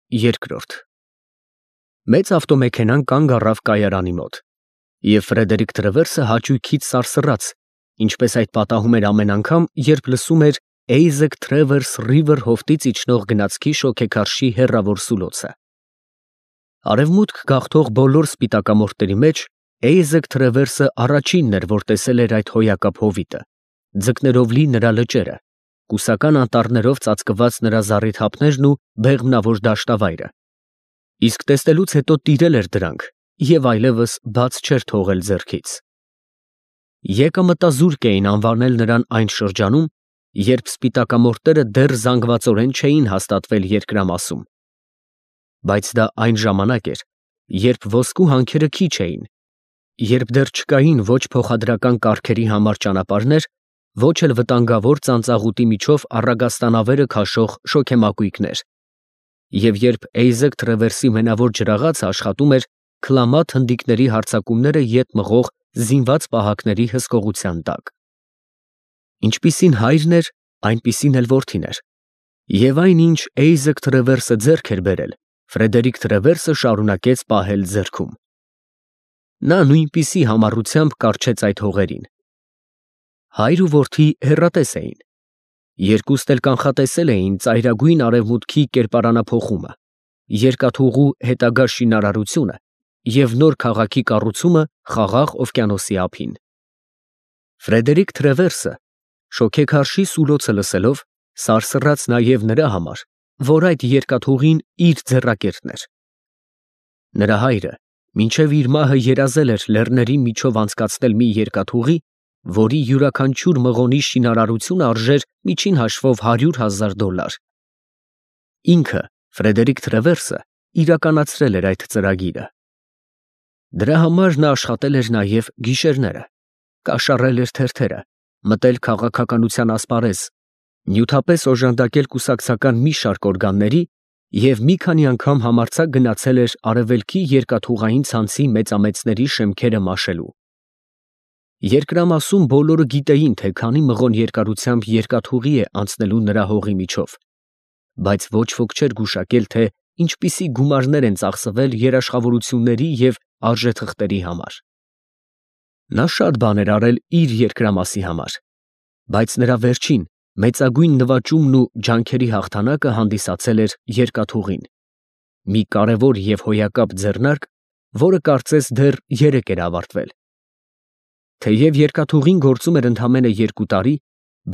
Երկրորդ Մեծ ավտոմեքենան կանգ առավ կայարանի մոտ, և Ֆրեդերիկ Տրևերսը հաճույքից սարսռաց, ինչպես այդ պատահում էր ամեն անգամ, երբ լսում էր Էյզեք Թրևերս Ռիվեր հովտից իջնող գնացքի շոգեքարշի հեռավոր սուլոցը։ Արևմուտք գաղթող բոլոր սպիտակամորտերի մեջ Էյզեք Թրևերսը առաջինն էր, որ տեսել էր այդ հոյակապ հովիտը, ձկներով լի նրա լճերը, կուսական անտառներով ծածկված նրա զառիթափներն ու բեղմնավոր դաշտավայրը, իսկ տեսնելուց հետո տիրել էր դրանք և այլևս բաց չէր թողել ձեռքից։ Եկամտազուրկ էին անվանել նրան այն շրջանում, երբ սպիտակամորտերը դեռ զանգվածորեն չէին հաստատվել երկրամասում, բայց դա այն ժամանակ էր, երբ ոսկու հանքերը քիչ էին, երբ դեռ չկային ոչ փոխադրական կառքերի համար ճանապարհներ, ոչ էլ վտանգավոր ծանծաղուտի միջով առագաստանավերը քաշող շոգեմակույկներ, և երբ Էյզեք Թրևերսի մենավոր ջրաղացը աշխատում էր քլամաթ հնդիկների հարձակումները ետ մղող զինված պահակների հսկողության տակ։ Ինչպիսին հայրն էր, այնպիսին էլ որդին էր, և այն, ինչ Էյզեք Թրևերսը ձեռք էր բերել, Ֆրեդերիկ Տրևերսը շարունակեց պահել ձեռքում։ Նա նույնպիսի համառությամբ կառչեց այդ հողերին։ Հայր ու որդի հեռատես էին, երկուստ էլ կանխատեսել էին ծայրագույն արևմուտքի կերպարանափոխումը, երկաթուղու հետագա շինարարությունը և նոր քաղաքի կառուցումը Խաղաղ օվկիանոսի ափին։ Ֆրեդերիկ Տրևերսը, շոգեքարշի սուլոցը լսելով, սարսռաց նաև նրա համար, որ այդ երկաթուղին իր ձեռակերտն էր։ Նրա հայրը մինչև իր մահը երազել էր լեռների միջով անցկացնել մի երկաթուղի, որի յուրաքանչյուր մղոնի շինարարությունը արժեր միջին հաշվով $100,000։ Ինքը, Ֆրեդերիկ Տրևերսը, իրականացրել էր այդ ծրագիրը։ Դրա համար նա աշխատել էր նաև գիշերները, կաշառել էր թերթերը, մտել քաղաքականության ասպարեզ, նյութապես օժանդակել կուսակցական մի շարք օրգանների և մի քանի անգամ համարձակ գնացել էր արևելքի երկաթուղային ցանցի մեծամեծների շեմքերը մաշելու։ Երկրամասում բոլորը գիտեին, թե քանի մղոն երկարությամբ երկաթուղի է անցնելու նրա հողի միջով, բայց ոչ ոք չէր գուշակել, թե ինչպիսի գումարներ են ծախսվել երաշխավորությունների և արժեթղթերի համար։ Նա շատ բան էր արել իր երկրամասի համար, բայց նրա վերջին մեծագույն նվաճումն ու ջանքերի հաղթանակը հանդիսացել էր երկաթուղին, մի կարևոր և հոյակապ ձեռնարկ, որը կարծես դեռ երեկ էր ավարտվել։ Թեև երկաթուղին գործում էր ընդամենը 2 տարի,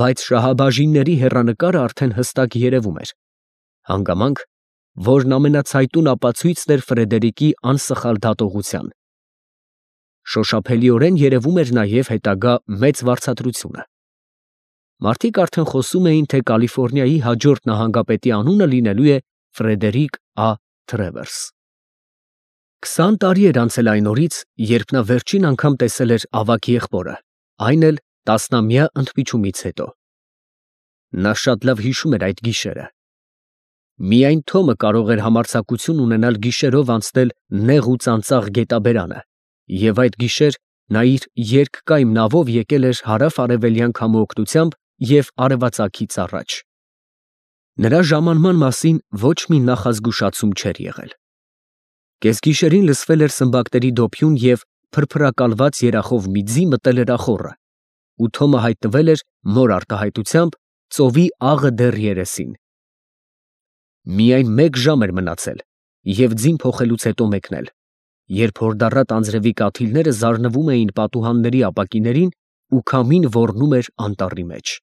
բայց շահաբաժինների հեռանկարը արդեն հստակ երևում էր, հանգամանք, որն ամենացայտուն ապացույցն էր Ֆրեդերիկի անսխալ դատողության։ Շոշափելիորեն երևում էր նաև հետագա մեծ վարձատրությունը։ Մարդիկ արդեն խոսում էին, թե Կալիֆոռնիայի հաջորդ նահանգապետի անունը լինելու է Ֆրեդերիկ Ա. Թրևերս։ 20 տարի էր անցել այն օրից, երբ նա վերջին անգամ տեսել էր ավագ եղբորը, այն էլ տասնամյա ընդմիջումից հետո։ Նա շատ լավ հիշում էր այդ գիշերը։ Միայն Թոմը կարող էր համարձակություն ունենալ գիշերով անցնել նեղ ու ծանծաղ գետաբերանը, և այդ գիշեր նա իր երկկայմ նավով եկել էր հարավ֊արևելյան քամու օգնությամբ և արևածագից առաջ։ Նրա ժամանման մասին ոչ մի նախազգուշացում չէր եղել։ Կեսգիշերին լսվել էր սմբակների դոփյուն և փրփրակալված երախով մի ձի մտել էր ախոռը, ու Թոմը հայտնվել էր նոր արտահայտությամբ ծովի աղը դեռ երեսին։ Միայն 1 ժամ էր մնացել և ձին փոխելուց հետո մեկնել, երբ հորդառատ անձրևի կաթիլները զարնվում էին պատուհանների ապակիներին ու քամին ոռնում էր անտառի մեջ։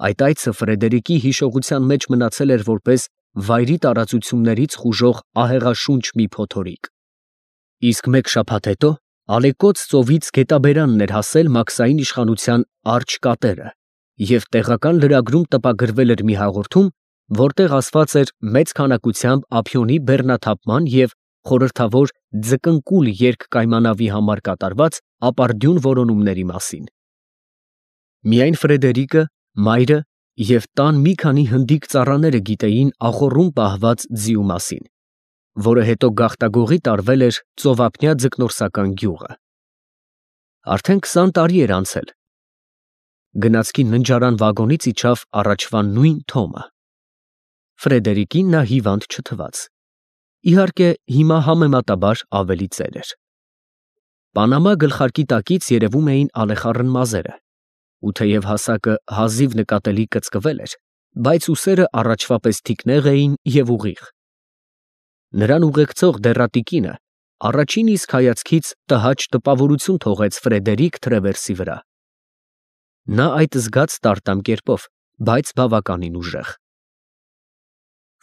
Այդ այցը Ֆրեդերիկի հիշողության մեջ մնացել էր որպես վայրի տարածություններից խուժող ահեղաշունչ մի փոթորիկ։ Իսկ 1 շաբաթ հետո ալեկոծ ծովից գետաբերանն էր հասել Մաքսային իշխանության Արջը կատերը և տեղական լրագրում տպագրվել էր մի հաղորդում, որտեղ ասված էր մեծ քանակությամբ ափիոնի բեռնաթափման և խորհրդավոր ձկնկուլ երկկայմանավի համար կատարված ապարդյուն որոնումների մասին։ Միայն Ֆրեդերիկը, մայրը և տան մի քանի հնդիկ ծառաները գիտեին ախոռում պահված ձիու մասին, որը հետո գաղտագողի տարվել էր ծովափնյա ձկնորսական գյուղը։ Արդեն 20 տարի էր անցել։ Գնացքի ննջարան վագոնից իջավ առաջվա նույն Թոմը։ Ֆրեդերիկին նա հիվանդ չթվաց։ Իհարկե, հիմա համեմատաբար ավելի ծեր էր։ Պանամա գլխարկի տակից երևում էին ալեխառն մազերը, ու թեև հասակը հազիվ նկատելի կծկվել էր, բայց ուսերը առաջվա պես թիկնեղ էին և ուղիղ։ Նրան ուղեկցող դեռատիկինը առաջին իսկ հայացքից տհաճ տպավորություն թողեց Ֆրեդերիկ Թրևերսի վրա։ Նա այդ զգաց տարտամ կերպով, բայց բավականին ուժեղ։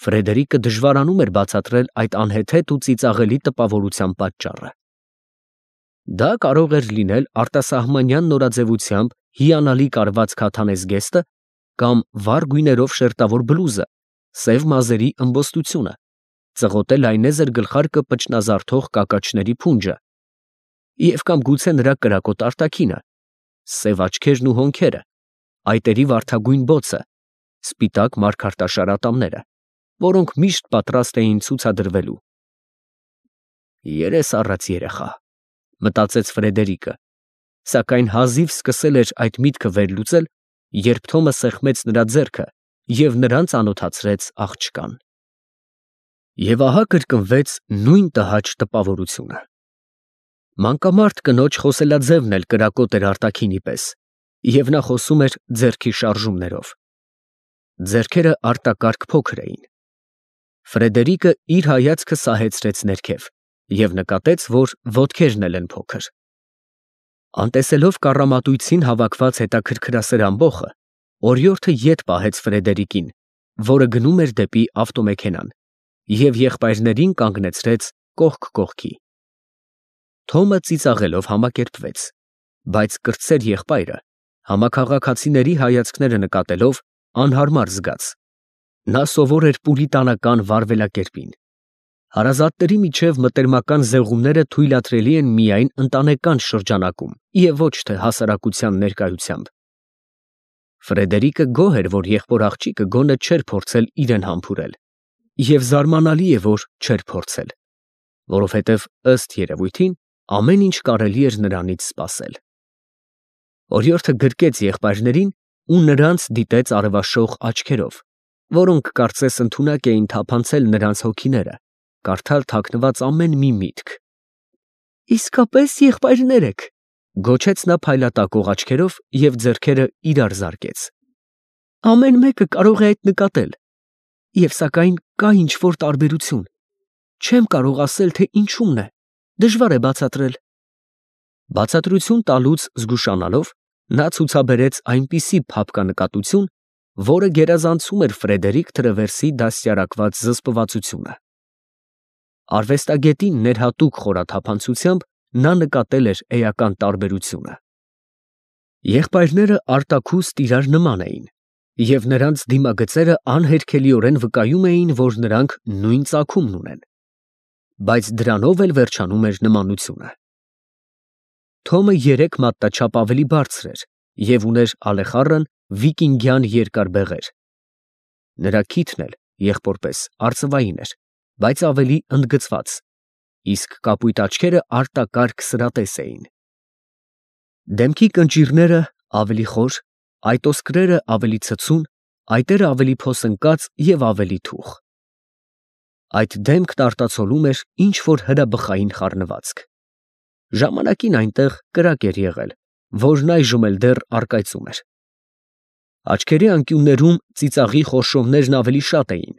Ֆրեդերիկը դժվարանում էր բացատրել այդ անհեթեթ ու ծիծաղելի տպավորության պատճառը։ Դա կարող էր լինել արտասահմանյան նորաձևությամբ հիանալի կարված քաթանեզգեստը կամ վառ գույներով շերտավոր բլուզը, սև մազերի ըմբոստությունը, ծղոտե լայնեզր գլխարկը պճնազարդող կակաչների փունջը, և կամ գուցե նրա կրակոտ արտաքինը, սև աչքերն ու հոնքերը, այտերի վարդագույն բոցը, սպիտակ մարգարտաշար ատամները, որոնք միշտ պատրաստ էին ցուցադրվելու։ «Երես առած երեխա», մտածեց Ֆրեդերիկը, սակայն հազիվ սկսել էր այդ միտքը վերլուծել, երբ Թոմը սեղմեց նրա ձեռքը և նրան ծանոթացրեց աղջկան։ Եվ ահա կրկնվեց նույն տհաճ տպավորությունը։ Մանկամարտ կնոջ խոսելաձևն էլ կրակոտ էր արտաքինի պես, և նա խոսում էր ձեռքի շարժումներով։ Ձեռքերը արտակարգ փոքր էին։ Ֆրեդերիկը իր հայացքը սահեցրեց ներքև և նկատեց, որ ոտքերն էլ են փոքր։ Անտեսելով կառամատույցին հավաքված հետաքրքրասեր ամբոխը, օրիորդը ետ պահեց Ֆրեդերիկին, որը գնում էր դեպի ավտոմեքենան, և եղբայրներին կանգնեցրեց կողք կողքի։ Թոմը ծիծաղելով համակերպվեց, բայց կրտսեր եղբայրը, համաքաղաքացիների հայացքները նկատելով, անհարմար զգաց։ Նա սովոր էր պուրիտանական վարվելակերպին։ Հարազատների միջև մտերմական զեղումները թույլատրելի են միայն ընտանեկան շրջանակում և ոչ թե հասարակության ներկայությամբ։ Ֆրեդերիկը գոհ էր, որ եղբոր աղջիկը գոնե չէր փորձել իրեն համբուրել, և զարմանալի է, որ չէր փորձել, որովհետև ըստ երևույթին ամեն ինչ կարելի էր նրանից սպասել։ Օրիորդը գրկեց եղբայրներին ու նրանց դիտեց արևաշող աչքերով, որոնք կարծես ընդունակ էին թափանցել նրանց հոգիները, կարդալ թաքնված ամեն մի միտք։ «Իսկապես եղբայրներ եք», գոչեց նա փայլատակող աչքերով և ձեռքերը իրար զարկեց։ «Ամեն մեկը կարող է այդ նկատել, և սակայն կա ինչ-որ տարբերություն։ Չեմ կարող ասել, թե ինչումն է, դժվար է բացատրել»։ Բացատրություն տալուց զգուշանալով, նա ցուցաբերեց այնպիսի փափկանկատություն, որը գերազանցում էր Ֆրեդերիկ Թրևերսի դաստիարակված զսպվածությունը։ Արվեստագետին ներհատուկ խորաթափանցությամբ նա նկատել էր էական տարբերությունը։ Եղբայրները արտաքուստ իրար նման էին, և նրանց դիմագծերը անհերքելիորեն վկայում էին, որ նրանք նույն ծագումն ունեն, բայց դրանով էլ վերջանում էր նմանությունը։ Թոմը 3 մատնաչափ ավելի բարձր էր և ուներ ալեխառն վիկինգյան երկար բեղեր։ Նրա քիթն էլ, եղբոր պես, արծվային էր, բայց ավելի ընդգծված, իսկ կապույտ աչքերը արտակարգ սրատես էին։ Դեմքի կնճիռները ավելի խոր, այտոսկրերը ավելի ցցուն, այտերը ավելի փոսընկած և ավելի թուխ։ Այդ դեմքն արտացոլում էր ինչ֊որ հրաբխային խառնվածք։ Ժամանակին այնտեղ կրակ էր եղել, որն այժմ էլ դեռ առկայծում էր։ Աչքերի անկյուններում ծիծաղի խորշովներն ավելի շատ էին,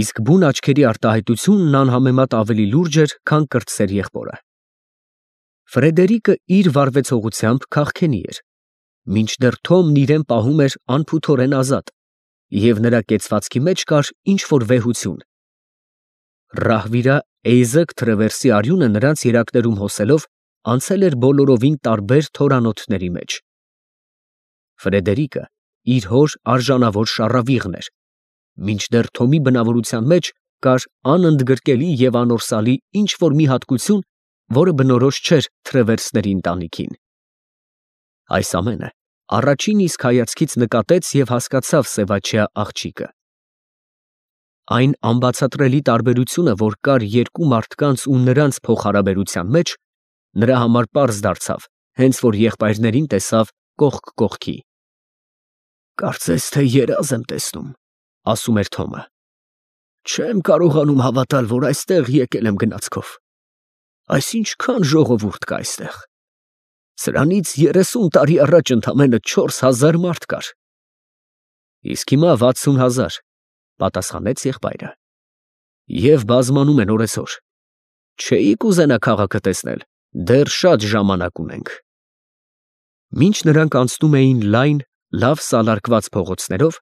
իսկ բուն աչքերի արտահայտությունն անհամեմատ ավելի լուրջ էր, քան կրտսեր եղբորը։ Ֆրեդերիկը իր վարվեցողությամբ քաղքենի էր, մինչդեռ Թոմն իրեն պահում էր անփութորեն ազատ, և նրա կեցվածքի մեջ կար ինչ֊որ վեհություն։ Ռահվիրա Էյզեկ Թրևերսի արյունը նրանց երակներում հոսելով անցել էր բոլորովին տարբեր թորանոթների մեջ։ Ֆրեդերիկը իր հոր արժանավոր շառավիղն էր, մինչդեռ Թոմի բնավորության մեջ կար անընդգրկելի և անորսալի ինչ֊որ մի հատկություն, որը բնորոշ չէր Թրևերսների ընտանիքին։ Այս ամենը առաջին իսկ հայացքից նկատեց և հասկացավ սևաչյա աղջիկը։ Այն անբացատրելի տարբերությունը, որ կար երկու մարդկանց ու նրանց փոխհարաբերության մեջ, նրա համար պարզ դարձավ, հենց որ եղբայրներին տեսավ կողք կողքի։ «Կարծես թե երազ եմ տեսնում», ասում էր Թոմը։ Չեմ կարողանում հավատալ, որ այստեղ եկել եմ գնացքով։ Այս ինչքան ժողովուրդ կա այստեղ։ Սրանից 30 տարի առաջ ընդամենը 4000 մարդ կար։ Իսկ հիմա 60,000, պատասխանեց եղբայրը։ Եվ բազմանում են օրեցօր։ Չէի կուզենա քաղաքը տեսնել, դեռ շատ ժամանակ ունենք։ Մինչ նրանք անցնում էին լայն, լավ սալարկված փողոցներով,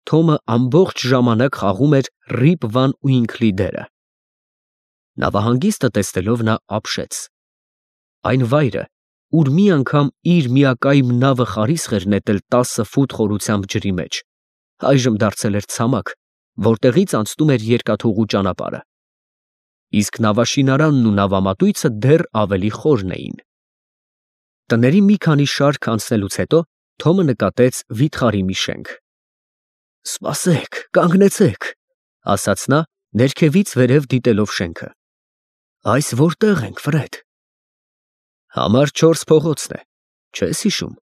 Թոմը ամբողջ ժամանակ խաղում էր Ռիպ Վան Ուինքլի դերը։ Նավահանգիստը տեսնելով նա ապշեց։ Այն վայրը, ուր մի անգամ իր միակայմ նավը խարիսխ էր նետել 10 ֆուտ խորությամբ ջրի մեջ, այժմ դարձել էր ցամաք, որտեղից անցնում էր երկաթուղու ճանապարհը։ Իսկ նավաշինարանն ու նավամատույցը դեռ ավելի խորն էին։ Տների մի քանի շարք անցնելուց հետո Թոմը նկատեց վիթխարի մի շենք։ «Սպասեք, կանգնեցեք», ասաց նա, ներքևից վերև դիտելով շենքը։ «Այս որտեղ ենք, Ֆրեդ»։ Համար 4 փողոցն է, չես հիշում։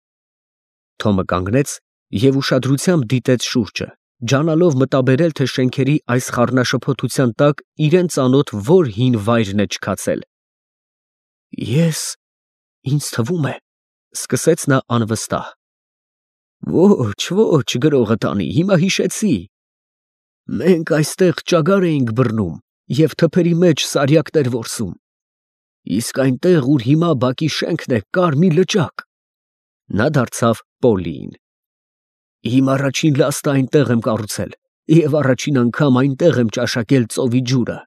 Թոմը կանգնեց և ուշադրությամբ դիտեց շուրջը, ջանալով մտաբերել, թե շենքերի այս խառնաշփոթության տակ իրեն ծանոթ որ հին վայրն է չքացել։ Ինձ թվում է, սկսեց նա անվստահ։ Ոչ, գրողը տանի, հիմա հիշեցի։ Մենք այստեղ ճագար էինք բռնում և թփերի մեջ սարյակներ որսում։ Իսկ այնտեղ, ուր հիմա բակի շենքն է, կար մի լճակ։ Նա դարձավ Պոլիին։ Իմ առաջին լաստը այնտեղ եմ կառուցել և առաջին անգամ այնտեղ եմ ճաշակել ծովի ջուրը։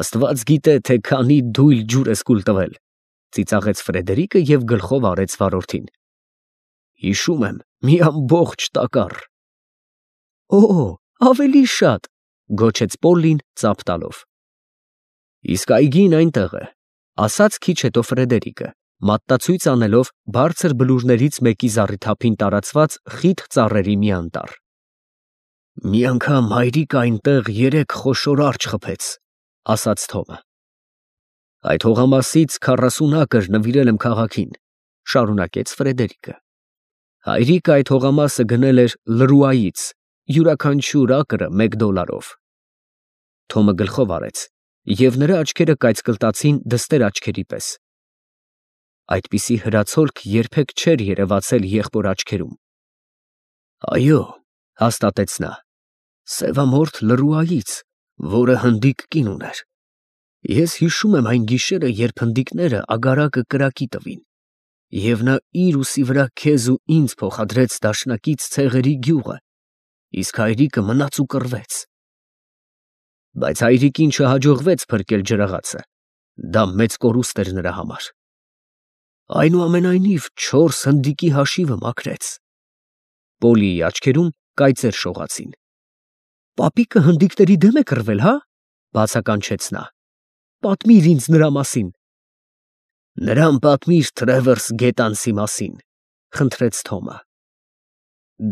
Աստված գիտե, թե քանի դույլ ջուր ես կուլ տվել, ծիծաղեց Ֆրեդերիկը և գլխով արեց վարորդին։ Հիշում եմ, մի ամբողջ տակառ։ Ավելի շատ, գոչեց Պոլլին ծափ տալով։ Իսկ այգին այնտեղ է, ասաց քիչ հետո Ֆրեդերիկը, մատնացույց անելով բարձր բլուրներից մեկի զառիթափին տարածված խիտ ծառերի մի անտառ։ Մի անգամ հայրիկը այնտեղ 3 խոշոր արջ խփեց, ասաց Թոմը։ Այդ հողամասից 40 ակր նվիրել եմ քաղաքին, շարունակեց Ֆրեդերիկը։ Հայրիկը այդ հողամասը գնել էր Լրուայից, յուրաքանչյուր ակրը $1։ Թոմը գլխով արեց, և նրա աչքերը կայծկլտացին դստեր աչքերի պես։ Այդպիսի հրացոլք երբեք չէր երևացել եղբոր աչքերում։ Այո, հաստատեց նա, սևամորթ Լրուայից, որը հնդիկ կին ուներ։ Ես հիշում եմ այն գիշերը, երբ հնդիկները ագարակը կրակի տվին, և նա իր ուսի վրա քեզ ու ինձ փոխադրեց դաշնակից ցեղերի գյուղը, իսկ հայրիկը մնաց ու կռվեց։ Բայց հայրիկին չհաջողվեց փրկել ջրաղացը, դա մեծ կորուստ էր նրա համար։ Այնուամենայնիվ 4 հնդիկի հաշիվը մաքրեց։ Պոլիի աչքերում կայծեր շողացին։ Պապիկը հնդիկների դեմ է կռվել, հա՞, բացականչեց նա։ Պատմիր ինձ նրա մասին։ Նրան պատմիր Թրևերս գետանցի մասին, խնդրեց Թոմը։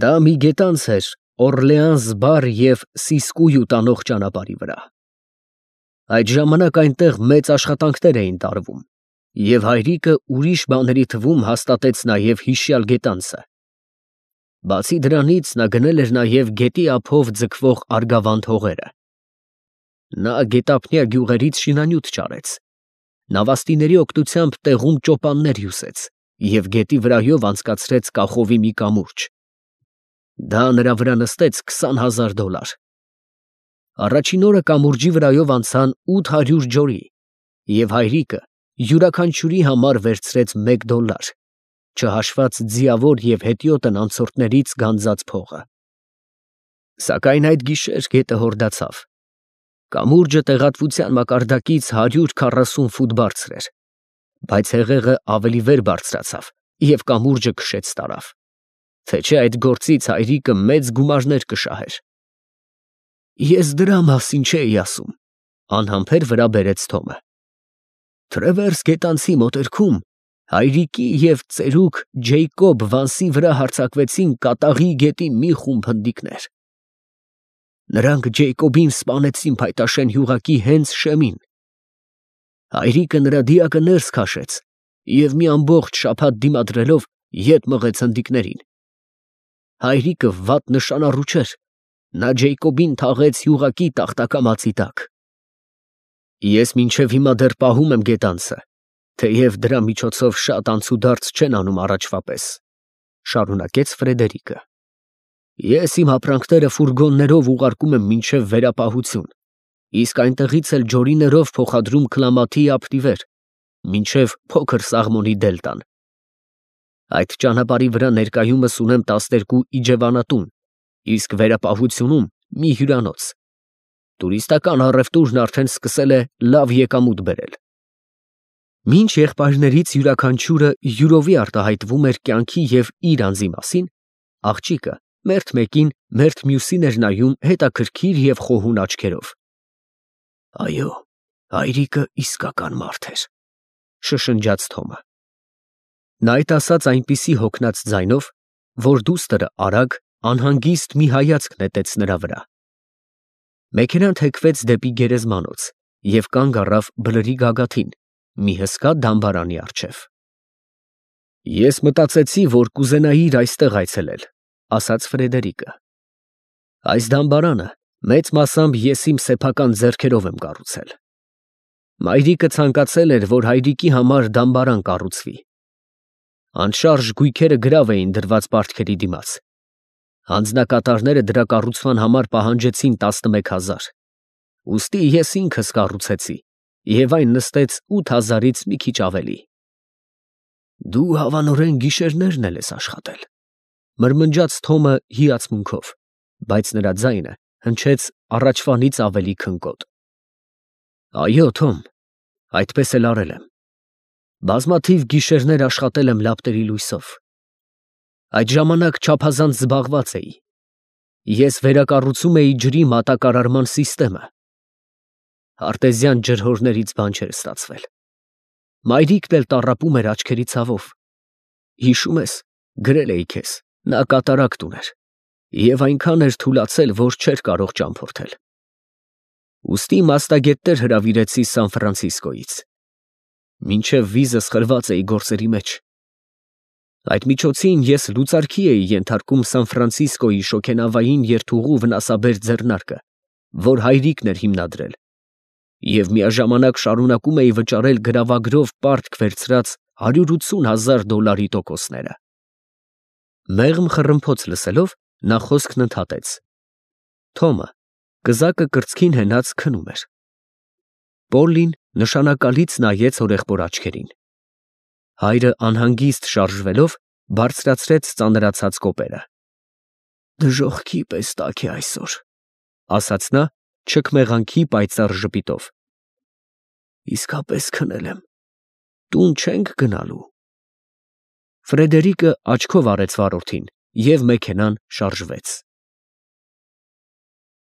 Դա մի գետանց էր Օրլեանս բար և Սիսկույու տանող ճանապարհի վրա։ Այդ ժամանակ այնտեղ մեծ աշխատանքներ էին տարվում, և հայրիկը ուրիշ բաների թվում հաստատեց նաև հիշյալ գետանցը։ Բացի դրանից նա գնել էր նաև գետի ափով ձգվող Արգավանդ հողերը։ Նա գետափնյա գյուղերից շինանյութ ճարեց, նավաստիների օգնությամբ տեղում ճոպաններ հյուսեց և գետի վրայով անցկացրեց կախովի մի կամուրջ։ Դա նրա վրա նստեց $20,000։ Առաջին օրը կամուրջի վրայով անցան 800 ջորի, և հայրիկը յուրաքանչյուրի համար վերցրեց $1, չհաշված ձիավոր և հետիոտն անցորդներից գանձած փողը։ Սակայն այդ գիշեր գետը հորդացավ։ Կամուրջը տեղատվության մակարդակից 140 ֆուտ բարձր էր, բայց հեղեղը ավելի վեր բարձրացավ և կամուրջը քշեց տարավ, թե չէ այդ գործից հայրիկը մեծ գումարներ կշահեր։ Ես դրա մասին չէի ասում, անհամբեր վրա բերեց Թոմը։ Թրևերս գետանցի մոտերքում հայրիկի և ծերուկ Ջեյկոբ Վանսի վրա հարձակվեցին Կատաղի գետի մի խումբ հնդիկներ։ Նրանք Ջեյկոբին սպանեցին Փայտաշեն գյուղակի հենց շեմին։ Հայրիկը նրա դիակը ներս քաշեց և մի ամբողջ շաբաթ դիմադրելով ետ մղեց հնդիկներին։ Հայրիկը վատ նշանառու չէր, Նա Ջեյկոբին թաղեց յուղակի տախտակամածի տակ։ Ես մինչև հիմա դեռ պահում եմ գետանցը, թեև դրա միջոցով շատ անցուդարձ չեն անում առաջվա պես, շարունակեց Ֆրեդերիկը։ Ես իմ ապրանքները ֆուրգոններով ուղարկում եմ մինչև վերապահություն, իսկ այնտեղից էլ ջորիներով փոխադրում Քլամաթի ափնիվեր, մինչև փոքր Սաղմոնի դելտան։ Այդ ճանապարհի վրա ներկայումս ունեմ 12 իջևանատուն, իսկ վերապահությունում մի հյուրանոց։ Տուրիստական առևտուրն արդեն սկսել է լավ եկամուտ բերել։ Մինչ եղբայրներից յուրաքանչյուրը յուրովի արտահայտվում էր կյանքի և իր անձի մասին, աղջիկը մերթ մեկին, մերթ մյուսին էր նայում հետաքրքիր և խոհուն աչքերով։ Այո, հայրիկը իսկական մարդ էր, շշնջաց Թոմը։ Նա այդ ասաց այնպիսի հոգնած ձայնով, որ դուստրը արագ, անհանգիստ մի հայացք նետեց նրա վրա։ Մեքենան թեքվեց դեպի գերեզմանոց և կանգ առավ բլրի գագաթին, մի հսկա դամբարանի առջև։ Ես մտածեցի, որ կուզենայիր այստեղ այցելել, ասաց Ֆրեդերիկը։ Այս դամբարանը մեծ մասամբ ես իմ սեփական ձեռքերով եմ կառուցել։ Մայրիկը ցանկացել էր, որ հայրիկի համար դամբարան կառուցվի։ Անշարժ գույքերը գրավ էին դրված պարտքերի դիմաց։ Հանձնակատարները դրա կառուցման համար պահանջեցին 11,000, ուստի ես ինքս կառուցեցի, և այն նստեց 8,000-ից մի քիչ ավելի։ Դու հավանորեն գիշերներն էլ ես աշխատել, մրմնջաց Թոմը հիացմունքով, բայց նրա ձայնը հնչեց առաջվանից ավելի քնկոտ։ Այո, Թոմ, այդպես էլ արել եմ։ Բազմաթիվ գիշերներ աշխատել եմ լապտերի լույսով։ Այդ ժամանակ չափազանց զբաղված էի։ Ես վերակառուցում էի ջրի մատակարարման սիստեմը։ Արտեզյան ջրհորներից բան չէր ստացվել։ Մայրիկն էլ տառապում էր աչքերի ցավով։ Հիշում ես, գրել էի քեզ, նա կատարակտ ուներ և այնքան էր թուլացել, որ չէր կարող ճամփորդել։ Ուստի մասնագետներ հրավիրեցի Սան Ֆրանցիսկոյից։ Մինչև վիզս խրված էի գործերի մեջ։ Այդ միջոցին ես լուծարքի էի ենթարկում Սան Ֆրանցիսկոյի շոգենավային երթուղու վնասաբեր ձեռնարկը, որ հայրիկն էր հիմնադրել, և միաժամանակ շարունակում էի վճարել գրավագրով պարտք վերցրած $180,000 տոկոսները։ Մեղմ խռմփոց լսելով, նա խոսքն ընդհատեց։ Թոմը կզակը կրծքին հենած քնում էր։ Պոլլին նշանակալից նայեց հորեղբոր աչքերին։ Հայրը անհանգիստ շարժվելով բարձրացրեց ծանրացած կոպերը։ Դժոխքի պես տաք է այսօր, ասաց նա չքմեղանքի պայծառ ժպիտով։ Իսկապես քնել եմ, տուն չենք գնալու։ Ֆրեդերիկը աչքով արեց վարորդին, և մեքենան շարժվեց։